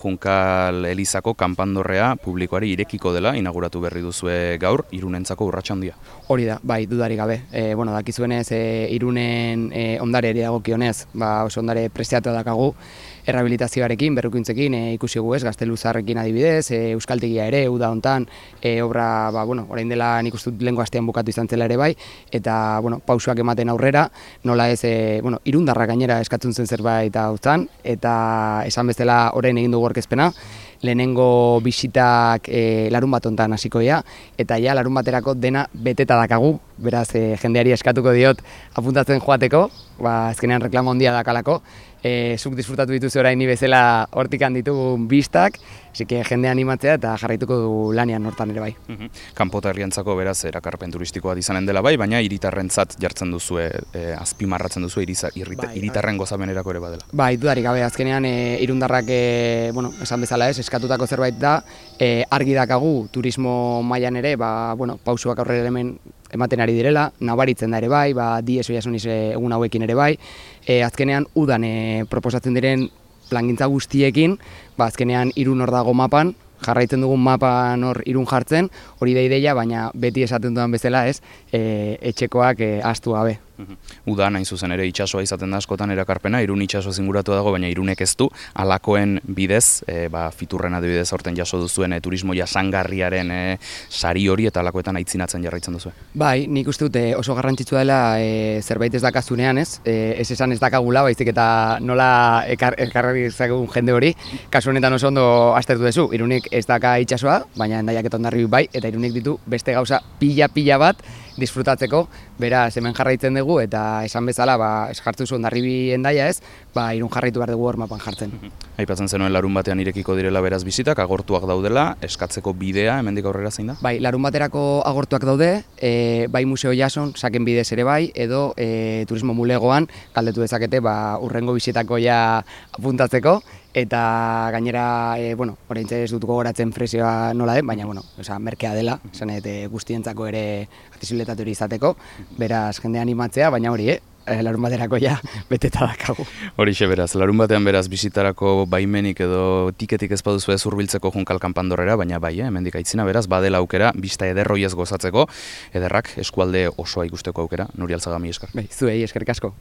Junkal Elizako kanpandorrea publikoari irekiko dela, inauguratu berri duzue gaur, Irunentzako urrats handia. Hori da, bai, dudarik gabe. Dakizuenez, Irunen ondare ere dagokionez, oso ondare prestiatua dakagu, errehabilitazioarekin, berrikuntzekin, ikusi gu ez, Gazteluzarrekin adibidez, Euskaltegia ere, uda hontan, obra, orain dela nik uste dut lehengo astean bukatu izan zela ere bai, eta, pausoak ematen aurrera, nola ez, Irundarra gainera eskatzen zen zerbait hautzan, eta esan bezala orain egin dugu aurkezpena, lehenengo bisitak larun bat hontan hasiko dira, eta ja larun baterako dena beteta dakagu, beraz jendeari eskatuko diot apuntatzen joateko, azkenean reklamo handia dakalako, zuk disfrutatu dituzu orain ni bezala hortik ditugun bistak, jende animatzea eta jarraituko du lanean hortan ere bai. Kanpota herrientzako beraz erakarpen turistikoa izanen dela bai, baina hiritarrentzat jartzen duzue, azpimarratzen duzue hiritarren gozamenerako ere badela. Bai, dudarik gabe, azkenean irundarrak, esan bezala ez, eskatutako zerbait da, argi dakagu turismo mailan ere, pausuak aurrera hemen ematen ari direla, nabaritzen da ere bai, Diez Oiasuniz egun hauekin ere bai, azkenean udan proposatzen diren plangintza guztiekin, azkenean Irun hor dago mapan, jarraitzen dugun mapan hor Irun jartzen, hori da ideia, baina beti esaten dudan bezala ez, etxekoak ahaztu gabe. Udan hain zuzen ere itsasoa izaten da askotan erakarpena, Irun itsasoa zinguratu dago, baina Irunek ez du, halakoen bidez, Fiturren adibidez aurten jaso duzuen turismo jasangarriaren sari hori eta halakoetan aitzinatzen jarraitzen duzu. Bai, nik uste dut oso garrantzitsua dela zerbait ez dakazunean ez esan ez dakagula, baizik eta nola ekarri dezagun jende hori, kasu honetan oso ondo aztertu duzu, Irunek ez daka itsasoa, baina Hendaiak eta Hondarribik bai, eta Irunek ditu beste gauza pila bat disfrutatzeko, beraz hemen jarraitzen dugu eta esan bezala, jartzen zu Hondarribi Hendaia ez, Irun jarraitu behar dugu hor mapan jartzen. Aipatzen zenuen larun batean irekiko direla beraz bisitak, agortuak daudela, eskatzeko bidea hemendik aurrera zein da? Bai, larun baterako agortuak daude, bai Museo Jason, saken bidez ere bai, edo turismo mulegoan, galdetu dezakete, urrengo bisitako ja apuntatzeko, eta gainera, oraintxe ez dut gogoratzen prezioa nola den, baina, merkea dela, guztientzako ere akzesibilitate hori izateko, beraz jende animatzea, baina hori, larun baterako ja beteta dakagu. Horixe beraz, larun batean beraz bisitarako baimenik edo tiketik ez baduzu ez hurbiltzeko Junkal kanpandorrera, baina bai, hemendik aitzina beraz, badela aukera, bista ederroiez gozatzeko, ederrak eskualde osoa ikusteko aukera, Nuri Alzaga, mila esker. Bai, zuei eskerrik asko.